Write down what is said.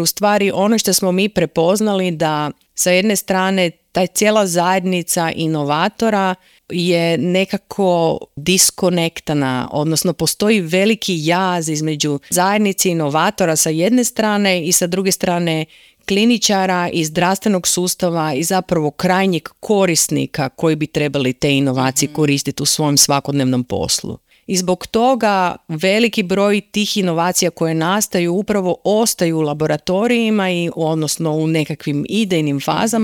U stvari ono što smo mi prepoznali da sa jedne strane ta cijela zajednica inovatora je nekako diskonektana, odnosno postoji veliki jaz između zajednice inovatora sa jedne strane i sa druge strane kliničara i zdravstvenog sustava i zapravo krajnjeg korisnika koji bi trebali te inovacije koristiti u svom svakodnevnom poslu. I zbog toga veliki broj tih inovacija koje nastaju upravo ostaju u laboratorijima i odnosno u nekakvim idejnim fazama